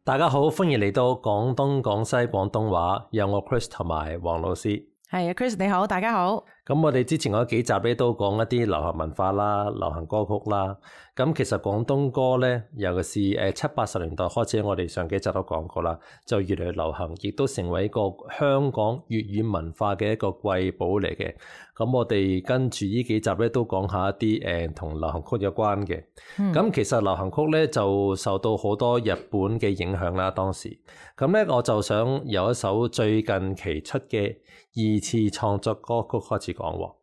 大家好，歡迎嚟到廣東廣西廣東話，有我 Chris 同埋黃老師。係啊 Chris 你好，大家好。咁我哋之前嗰幾集咧都講一啲流行文化啦、流行歌曲啦。咁其實廣東歌咧，尤其是70-80年代開始，我哋上幾集都講過啦，就越嚟越流行，亦都成為一個香港粵語文化嘅一個瑰寶嚟嘅。咁我哋跟住呢幾集咧都講下一啲同流行曲有關嘅。咁其實流行曲咧就受到好多日本嘅影響啦，當時。咁咧我就想有一首最近期出嘅二次創作歌曲開始講喎。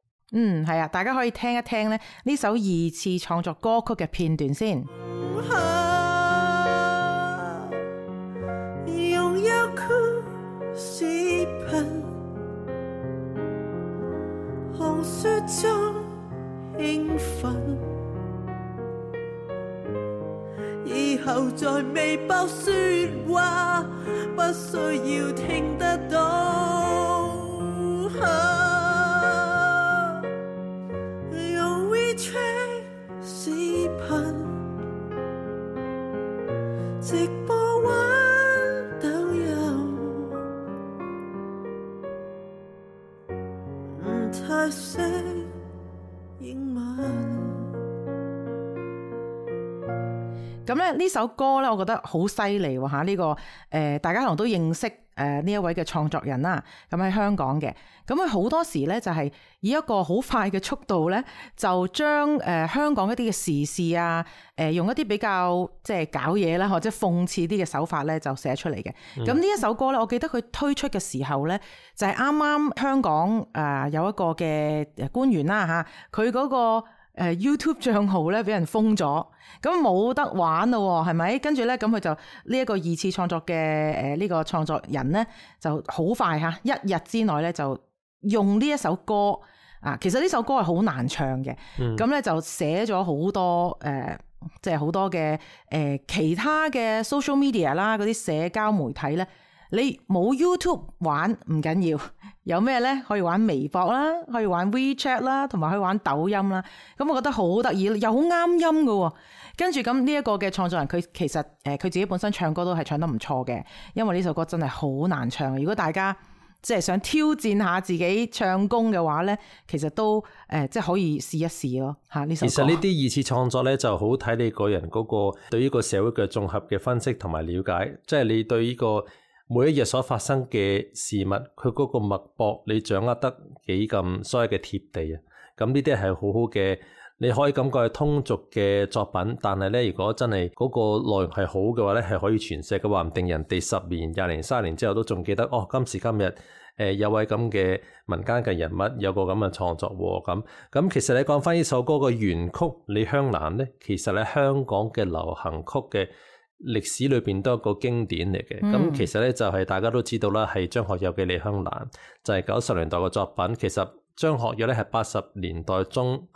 係啊，大家可以聽一聽咧呢首二次創作歌曲嘅片段先。擁有酷視頻，紅雪中興奮，以後在微博說話，不需要聽得到。用 WeChat 視頻直播玩抖音，唔太識英文。咁咧呢首歌咧，我覺得好犀利喎嚇！呢個大家可能都認識呢一位嘅創作人啦。咁喺香港嘅，咁佢好多時咧就係以一個好快嘅速度咧，就將香港一啲嘅時事啊，用一啲比較即係搞嘢啦，或者諷刺啲嘅手法咧，就寫出嚟嘅。咁呢一首歌咧，我記得佢推出嘅時候咧，就係啱啱香港有一個嘅官員啦嚇，佢嗰個YouTube 賬號咧俾人封咗，咁冇得玩咯，係咪？跟住咧，咁佢就呢一個二次創作嘅呢個創作人咧，就好快嚇，一日之內咧就用呢一首歌啊，其實呢首歌係好難唱嘅，咁咧就寫咗好多即係好多嘅其他嘅 social media 啦，嗰啲社交媒體咧。你冇 YouTube 玩唔緊要，有咩咧？可以玩微博啦，可以玩 WeChat 啦，同埋可以玩抖音啦。咁我覺得好得意，又好啱音㗎。跟住咁呢一個嘅創作人，佢其實佢自己本身唱歌都係唱得唔錯嘅，因為呢首歌真係好難唱。如果大家即係想挑戰下自己唱功嘅話咧，其實都即係可以試一試咯嚇呢首歌。其實呢啲二次創作咧就好睇你個人嗰個對呢個社會嘅綜合嘅分析同埋了解，即係你對呢個每一日所發生嘅事物，佢嗰個脈搏，你掌握得幾咁所謂嘅貼地啊！咁呢啲係好好嘅，你可以感覺係通俗嘅作品，但係咧，如果真係嗰個內容係好嘅話咧，係可以傳世嘅，話唔定人哋10年、20年、30年之後都仲記得哦。今時今日有位咁嘅民間嘅人物，有個咁嘅創作喎。咁其實你講翻呢首歌嘅原曲《李香蘭》咧，其實喺香港嘅流行曲嘅歷史裏邊都係一個經典嚟嘅。咁其實咧就係大家都知道啦，係張學友嘅《李香蘭》，就係90年代嘅作品。其實張學友咧係80年代中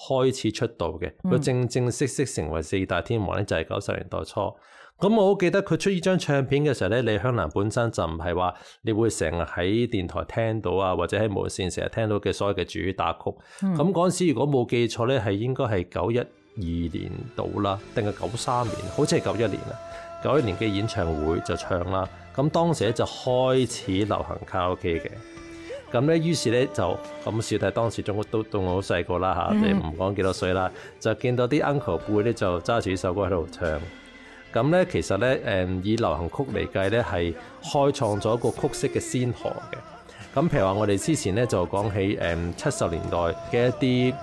開始出道嘅，佢正式成為4大天王咧就係90年代初。咁我好記得佢出呢張唱片嘅時候咧，李香蘭本身就唔係話你會成日喺電台聽到啊，或者喺無線成日聽到嘅所謂嘅主打曲。咁嗰陣時如果冇記錯咧，係應該係92年到啦，定係93年？好似係91年啦。91年嘅演唱會就唱啦。咁當時咧就開始流行卡拉 OK 嘅。咁咧於是咧就咁小弟當時都到我好細個啦嚇，你唔講幾多歲啦，就見到啲 uncle 輩咧就揸住呢首歌喺度唱。咁咧其實咧以流行曲嚟計咧係開創咗一個曲式嘅先河嘅。咁譬如話我哋之前咧就講起70年代嘅一啲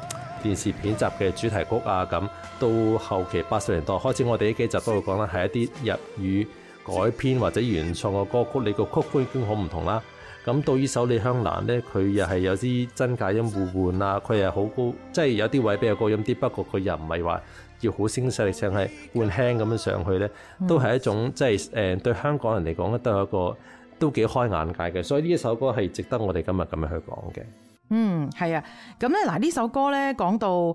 電視片集嘅主題曲啊，咁到後期80年代開始，我哋呢幾集都會講啦，係一啲日語改編或者原創嘅歌曲，你個曲風已經好唔同啦。咁到呢首李香蘭咧，佢又係有啲真假音互換啊，佢又好高，即係有啲位比較高音啲，不過佢又唔係話要好聲勢力，淨係換輕咁樣上去咧，都係一種即係對香港人嚟講咧，都係一個都幾開眼界嘅，所以呢一首歌係值得我哋今日咁樣去講嘅。係啊，咁咧嗱呢首歌咧講到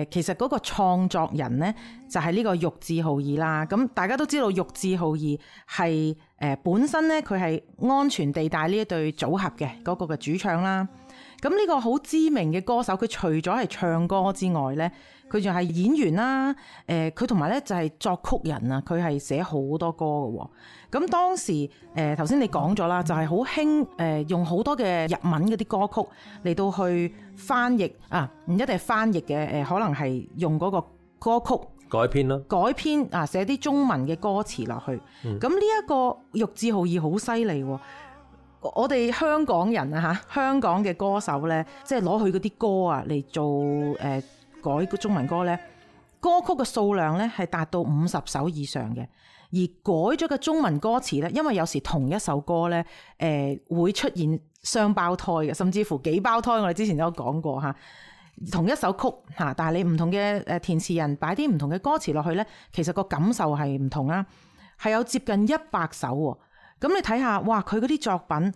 其實嗰個創作人咧就係呢個玉置浩二啦。咁大家都知道玉置浩二係本身咧佢係安全地帶呢一對組合嘅嗰個嘅主唱啦。咁呢個好知名嘅歌手，佢除咗係唱歌之外咧，佢仲係演員啦，佢同埋咧就係作曲人啊，佢係寫好多歌嘅喎。咁當時頭先你講咗啦，就係好興用好多嘅日文嗰啲歌曲嚟到去翻譯啊，唔一定係翻譯嘅，可能係用嗰個歌曲改編咯，改編啊，寫啲中文嘅歌詞落去。咁呢一個玉置浩二好犀利喎。我哋香港人啊嚇，香港嘅歌手咧，即係攞佢嗰啲歌啊嚟做改中文歌咧，歌曲嘅數量咧係達到50首以上嘅，而改咗嘅中文歌詞咧，因為有時同一首歌咧會出現雙胞胎嘅，甚至乎幾胞胎，我哋之前都有講過嚇。同一首曲嚇，但係你唔同嘅填詞人擺啲唔同嘅歌詞落去咧，其實個感受係唔同啦，係有接近100首喎。咁你睇下，哇！佢嗰啲作品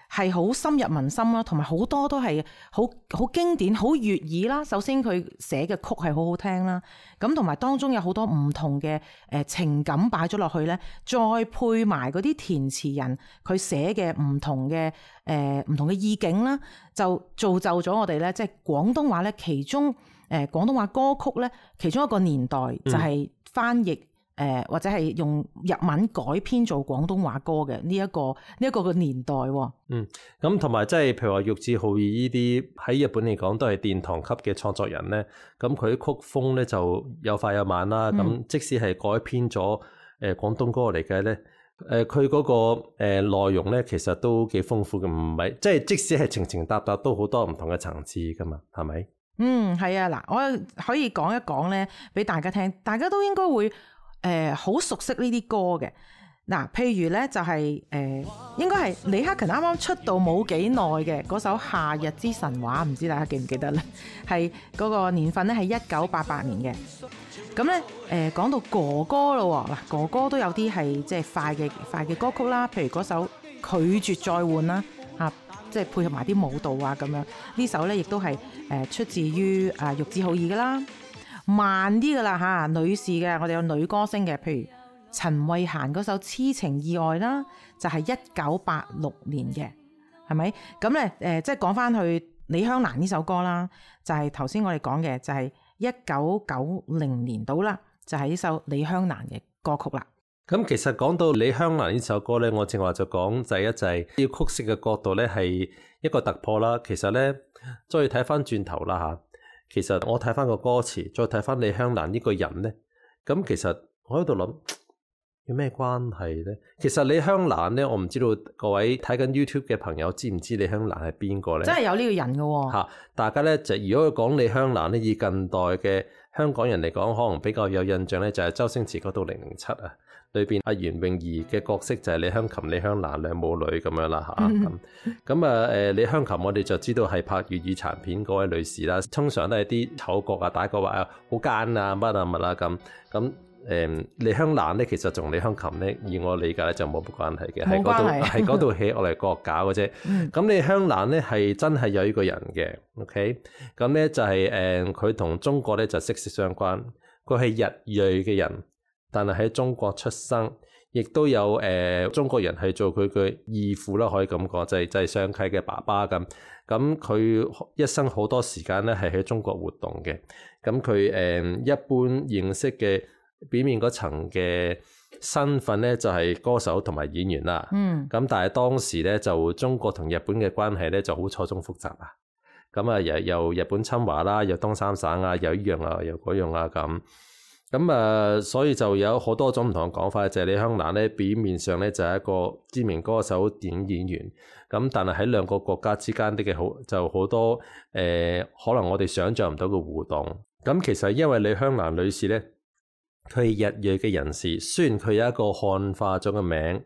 係好深入民心啦，同埋好多都係好經典、好悅耳啦。首先佢寫嘅曲係好好聽啦，咁同埋當中有好多唔同嘅情感擺咗落去咧，再配埋嗰啲填詞人佢寫嘅唔同嘅意境啦，就造就咗我哋咧，即係廣東話咧，其中廣東話歌曲咧，其中一個年代就係翻譯。或者係用日文改編做廣東話歌嘅呢一個嘅年代喎。咁同埋即係譬如話玉置浩二呢啲喺日本嚟講都係殿堂級嘅創作人咧，咁佢啲曲風咧就有快有慢啦。咁即使係改編咗廣東歌嚟計咧，佢嗰個內容咧其實都幾豐富嘅，唔係即係即使係情情搭搭都好多唔同嘅層次噶嘛，係咪？係啊，嗱，我可以講一講咧俾大家聽，大家都應該會好熟悉呢啲歌嘅。嗱，譬如咧就係應該係李克勤啱啱出道冇幾耐嘅嗰首《夏日之神話》，唔知大家記唔記得咧？係嗰個年份咧係1988年嘅。咁咧講到哥哥咯，嗱，哥哥都有啲係即係快嘅歌曲啦，譬如嗰首《拒絕再換》啦，即係配合埋啲舞蹈啊咁樣。呢首咧亦都係出自於玉置浩二噶啦。慢啲噶啦嚇，女士嘅，我哋有女歌星嘅，譬如陳慧嫻嗰首《痴情意外》啦，就係1986年嘅，係咪？咁咧即係講翻去李香蘭呢首歌啦，就係頭先我哋講嘅，就係1990年到啦，就係呢首李香蘭嘅歌曲啦。咁其實講到李香蘭呢首歌咧，我正話就講第一就係要曲式嘅角度咧係一個突破啦。其實咧再睇翻轉頭啦嚇。其實我睇翻個歌詞，再睇翻李香蘭呢個人咧，咁其實我喺度諗有咩關係咧？其實李香蘭咧，我唔知道各位睇緊 YouTube 嘅朋友知唔知李香蘭係邊個咧？真係有呢個人㗎喎。嚇，大家咧就如果講李香蘭咧，以近代嘅香港人嚟講，可能比較有印象咧，就係周星馳嗰套007啊。裏邊阿袁詠儀嘅角色就係李香琴、李香蘭兩母女咁樣啦嚇。咁李香琴我哋就知道係拍粵語殘片嗰位女士啦，通常都係啲丑角啊、打角啊、好奸啊、乜啊乜啊咁。咁李香蘭咧，其實同李香琴咧，以我理解咧就冇乜關係嘅，係嗰度戲我嚟惡搞嘅啫。咁李香蘭咧係真係有呢個人嘅 ，OK？ 咁咧就係佢同中國咧就息息相關，佢係日裔嘅人。但係喺中國出生，亦都有中國人係做佢嘅義父啦，可以咁講，就係雙契嘅爸爸咁。咁佢一生好多時間咧係喺中國活動嘅。咁佢一般認識嘅表面嗰層嘅身份咧就係歌手同埋演員啦。咁但係當時咧就中國同日本嘅關係咧就好錯綜複雜啊。咁啊又日本侵華啦，又東三省啊，又呢樣啊，又嗰樣啊咁。咁所以就有好多種唔同嘅講法，就係李香蘭咧表面上咧就係一個知名歌手、電影演員，咁但係喺兩個國家之間嘅好多可能我哋想象唔到嘅互動。咁其實因為李香蘭女士咧，佢係日裔嘅人士，雖然佢有一個漢化咗嘅名，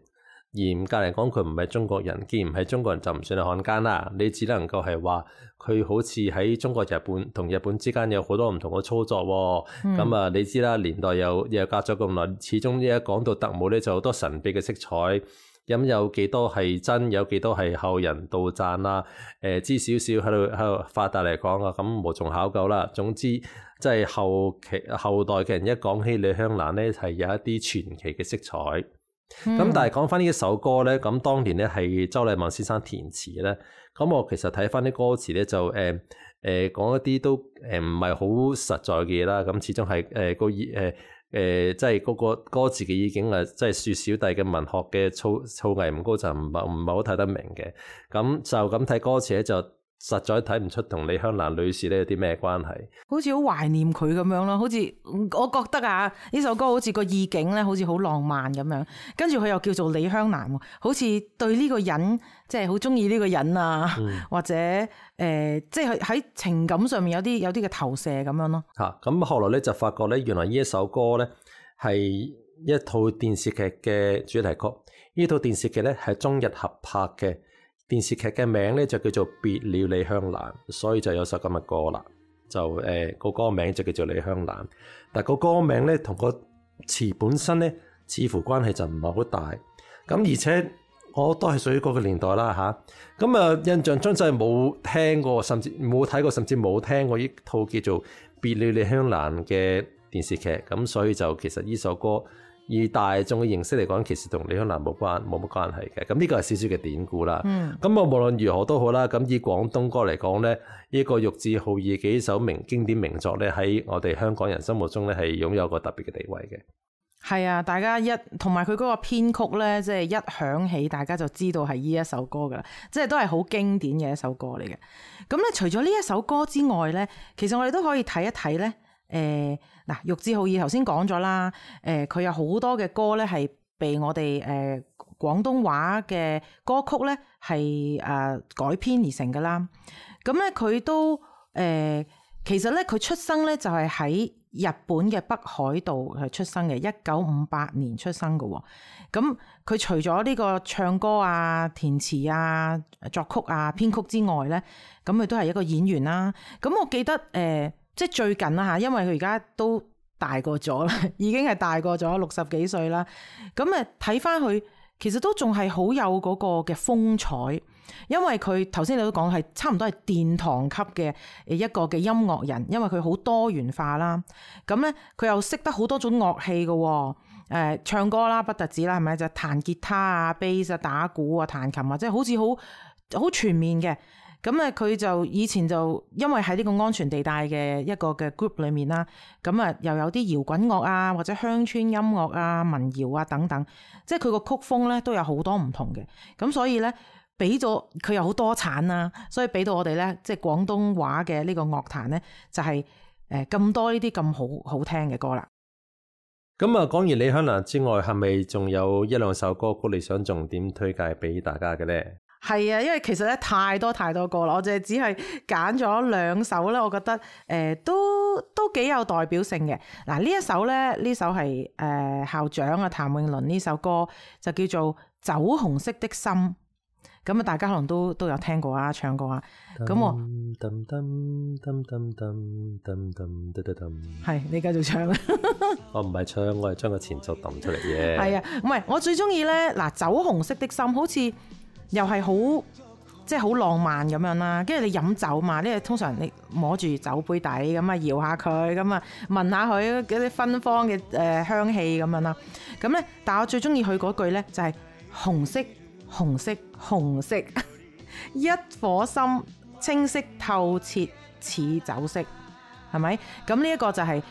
嚴格嚟講佢唔係中國人，既然唔係中國人就唔算係漢奸啦。你只能夠係話佢好似喺中國、日本同日本之間有好多唔同嘅操作喎。咁你知啦，年代又隔咗咁耐，始終一講到特務咧就好多神秘嘅色彩。咁有幾多係真，有幾多係後人杜撰啦？知少少喺度發達嚟講啊，咁無從考究啦。總之即係後代嘅人一講起李香蘭咧，係有一啲傳奇嘅色彩。咁但係講翻呢一首歌咧，咁當年咧係周禮茂先生填詞咧，咁我其實睇翻啲歌詞咧就講一啲都唔係好實在嘅嘢啦。咁始終係即係嗰個歌詞嘅意境啊，即係說小弟嘅文學嘅造詣唔高，就唔係好睇得明嘅。咁就咁睇歌詞咧，就實在睇唔出同李香蘭女士咧有啲咩關係。好似好懷念佢咁樣咯，好似我覺得啊，呢首歌好似個意境咧，好似好浪漫咁樣。跟住佢又叫做李香蘭，好似對呢個人即係好中意呢個人啊，或者即係喺情感上面有啲嘅投射咁樣咯。咁後來咧就發覺咧，原來呢一首歌咧係一套電視劇嘅主題曲。呢套電視劇咧係中日合拍嘅。電視劇嘅名咧就叫做《別了李香蘭》，所以就有首咁嘅歌啦。就個歌名就叫做李香蘭，但個歌名咧同個詞本身咧似乎關係就唔係好大。咁而且我都係屬於嗰個年代啦吓。咁啊印象中真係冇聽過，甚至冇睇過，甚至冇聽過呢套叫做《別了李香蘭》嘅電視劇。咁所以就其實呢首歌，以大眾嘅認識嚟講，其實同李香蘭冇乜關係嘅。咁呢個係少少嘅典故啦。咁無論如何都好啦。咁以廣東歌嚟講咧，呢個玉置浩二嘅幾首經典名作咧，喺我哋香港人心目中咧係擁有個特別嘅地位嘅。係啊，大家同埋佢嗰個編曲咧，即係一響起，大家就知道係呢一首歌噶啦，即係都係好經典嘅一首歌嚟嘅。咁咧，除咗呢一首歌之外咧，其實我哋都可以睇一睇咧。嗱，玉置浩二頭先講咗啦，佢有好多嘅歌咧係被我哋廣東話嘅歌曲咧係改編而成噶啦。咁咧佢都其實咧佢出生咧就係喺日本嘅北海道係出生嘅，1958年出生嘅。咁佢除咗呢個唱歌啊、填詞啊、作曲啊、編曲之外咧，咁佢都係一個演員啦。咁我記得即係最近啦嚇，因為佢而家都大個咗啦，已經係大個咗60幾歲啦。咁睇翻佢，其實都仲係好有嗰個嘅風采，因為佢頭先你都講係差唔多係殿堂級嘅一個嘅音樂人，因為佢好多元化啦。咁咧佢又識得好多種樂器嘅，唱歌啦不特止啦，係咪就彈吉他啊、bass 啊、打鼓啊、彈琴啊，即係好似好全面嘅。咁咧佢就以前就因為喺呢個安全地帶嘅一個嘅 group 裏面啦，咁又有啲搖滾樂啊，或者鄉村音樂啊、民謠啊等等，即係佢個曲風咧都有好多唔同嘅。咁所以咧俾咗佢又好多產啦，所以俾到我哋咧即係廣東話嘅呢個樂壇咧就係咁多呢啲咁好聽嘅歌啦。咁講完李香蘭之外，係咪仲有一兩首歌曲你想重點推介俾大家嘅咧？係啊，因為其實咧太多歌啦，我淨係只係揀咗2首咧，我覺得都幾有代表性嘅。嗱，呢一首咧，呢首係校長啊譚詠麟呢首歌就叫做《酒紅色的心》。咁啊，大家可能都有聽過啊，唱過啊。咁我係你繼續唱啊！我唔係唱，我係將個前奏揼出嚟嘅。係啊，唔係我最中意咧。嗱，《酒紅色的心》好似又係好即係好浪漫咁樣啦。跟住你飲酒嘛，呢個通常你摸住酒杯底咁啊，搖下佢咁啊，聞下佢嗰啲芬芳嘅香氣咁樣啦。咁咧，但係我最中意佢嗰句咧就係紅色。紅色紅色一顆心清晰透徹似酒色，係咪？咁呢一個就係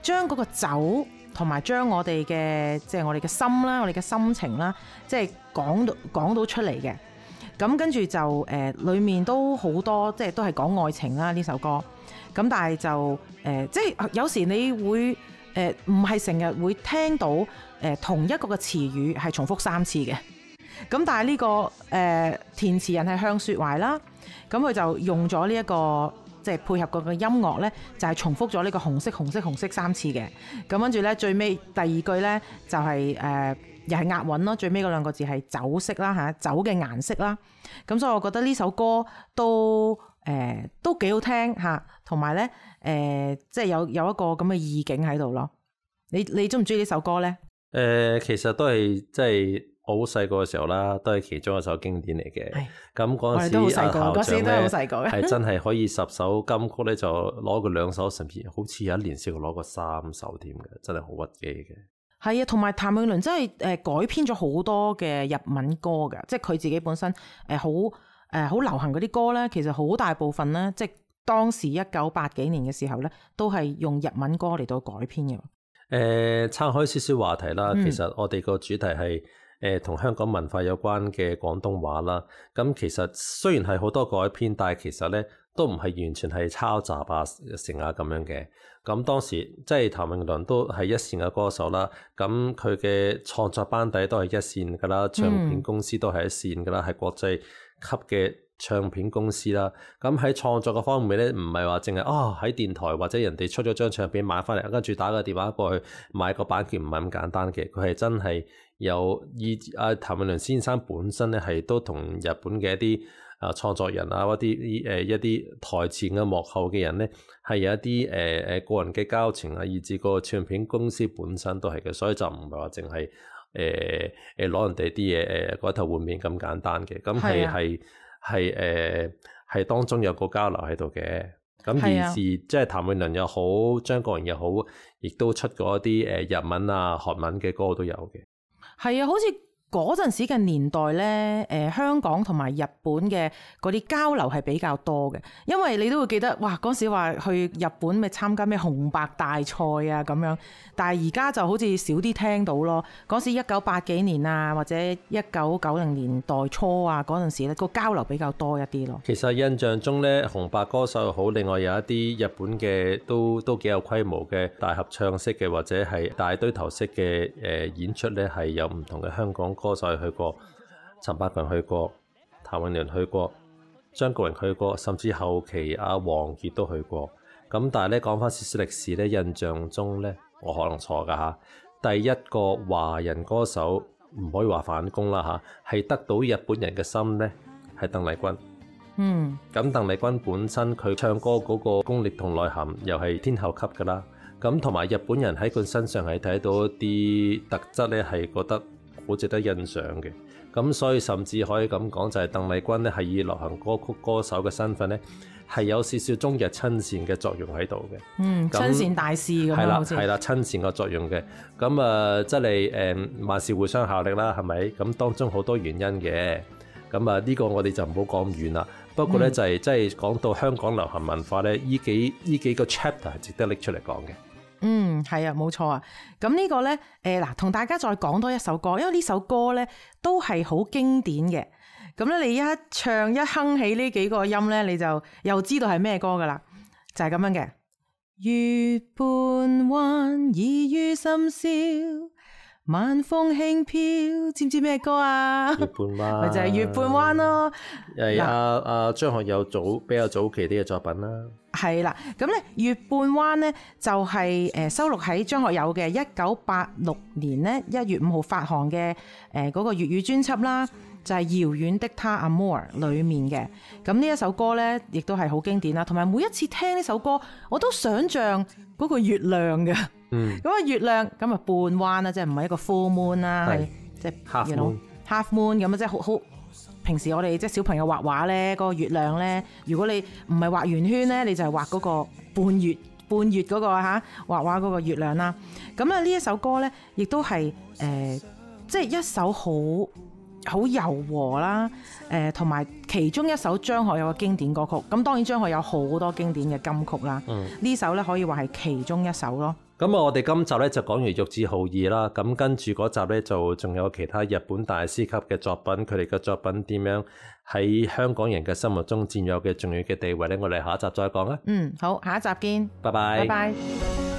將嗰個酒同埋將我哋嘅即係我哋嘅心啦，我哋嘅心情啦，即係講到出嚟嘅。咁跟住就裏面都好多即係都係講愛情啦呢首歌。咁但係就即係有時你會唔係成日會聽到同一個嘅詞語係重複3次嘅。咁但係呢個填詞人係向雪懷啦，咁佢就用咗呢一個即係配合嗰個音樂咧，就係重複咗呢個紅色紅色紅色3次嘅。咁跟住咧最尾第2句咧就係又係押韻咯，最尾嗰2個字係酒色啦嚇，酒嘅顏色啦。咁所以我覺得呢首歌都幾好聽嚇，同埋咧即係有一個咁嘅意境喺度咯。你中唔中意呢首歌咧？其實都係即係。我好細個嘅時候啦，都係其中一首經典嚟嘅。咁嗰陣時，校長咧係真係可以10首金曲咧，就攞過2首，甚至好似有一年試過攞過3首添嘅，真係好屈機嘅。係啊，同埋譚詠麟真係改編咗好多嘅日文歌㗎，即係佢自己本身好流行嗰啲歌咧，其實好大部分咧，即係當時1980幾年嘅時候咧，都係用日文歌嚟到改編嘅。岔開少少話題啦，其實我哋個主題係同香港文化有關嘅廣東話啦。咁其實雖然係好多改編，但係其實咧都唔係完全係抄襲啊成啊咁樣嘅。咁當時即係譚詠麟都係一線嘅歌手啦，咁佢嘅創作班底都係一線噶啦，唱片公司都係一線噶啦，係國際級嘅唱片公司啦。咁喺創作嘅方面咧，唔係話淨係喺電台或者人哋出咗張唱片買翻嚟，跟住打個電話過去買個版權，唔係咁簡單嘅。佢係真係有譚詠麟先生本身咧係都同日本嘅一啲創作人啊，一啲台前嘅幕後嘅人咧，係有一啲個人嘅交情啊，以至個唱片公司本身都係嘅，所以就唔係話淨係攞人哋啲嘢改頭換面咁簡單嘅，咁係當中有個交流喺度嘅。咁而即係譚詠麟又好，張國榮又好，亦都出過一啲日文啊、韓文嘅歌都有嘅。係啊，好似嗰陣時嘅年代咧，香港同埋日本嘅嗰啲交流係比較多嘅，因為你都會記得，哇！嗰時話去日本咪參加咩紅白大賽啊咁樣，但係而家就好似少啲聽到咯。嗰時1980幾年啊，或者1990年代初啊嗰陣時咧，個交流比較多一啲咯。其實印象中咧，紅白歌手又好，另外有一啲日本嘅都幾有規模嘅大合唱式嘅，或者係大堆頭式嘅演出咧，係有唔同嘅香港歌手去過，陳百強去過，譚詠麟去過，張國榮去過，甚至後期阿王傑都去過。咁但係咧，講翻少少歷史咧，印象中咧，我可能錯噶嚇，第一個華人歌手唔可以話反攻啦嚇，係得到日本人嘅心咧，係鄧麗君。咁鄧麗君本身佢唱歌嗰個功力同內涵又係天后級噶啦。咁同埋日本人喺佢身上係睇到一啲特質咧，係覺得好值得欣賞嘅。咁所以甚至可以咁講，就係鄧麗君咧係以流行歌曲歌手嘅身份咧，係有少少中日親善嘅作用喺度嘅。親善大使咁樣好似係啦，親善嘅作用嘅。咁即係萬事互相效力啦，係咪？咁當中好多原因嘅。咁呢個我哋就唔好講咁遠啦。不過咧就係即係講到香港流行文化咧，呢幾個 chapter 係值得拎出嚟講嘅。係啊，冇錯啊。咁呢個咧，同大家再講多一首歌，因為呢首歌咧都係好經典嘅。咁咧，你一唱一哼起呢幾個音咧，你就又知道係咩歌噶啦，就係咁樣嘅。月半彎，已於深宵，晚風輕飄，知唔知咩歌啊？月半彎，咪就係月半彎咯。係阿張學友比較早期啲嘅作品啦。係啦，咁咧月半彎咧就係收錄喺張學友嘅1986年咧1月5號發行嘅嗰個粵語專輯啦，就係遙遠的他 Amour 裏面嘅。咁呢一首歌咧亦都係好經典啦，同埋每一次聽呢首歌我都想像嗰個月亮嘅。咁啊月亮咁啊半彎啦，即係唔係一個 full moon 啦，係即係 half moon 咁啊，即係好。平時我哋即係小朋友畫畫咧，嗰個月亮咧，如果你唔係畫圓圈咧，你就係畫嗰個半月嗰個畫畫嗰個月亮啦。咁啊呢一首歌咧，亦都係即係一首好柔和啦，同埋其中一首張學友嘅經典歌曲。咁當然張學友好多經典嘅金曲啦，呢首咧可以話係其中一首咯。咁我哋今集咧就講完玉置浩二啦，咁跟住嗰集咧就仲有其他日本大師級嘅作品，佢哋嘅作品點樣喺香港人嘅心目中佔有嘅重要嘅地位咧？我哋下一集再講啦。好，下一集見，拜拜。拜拜。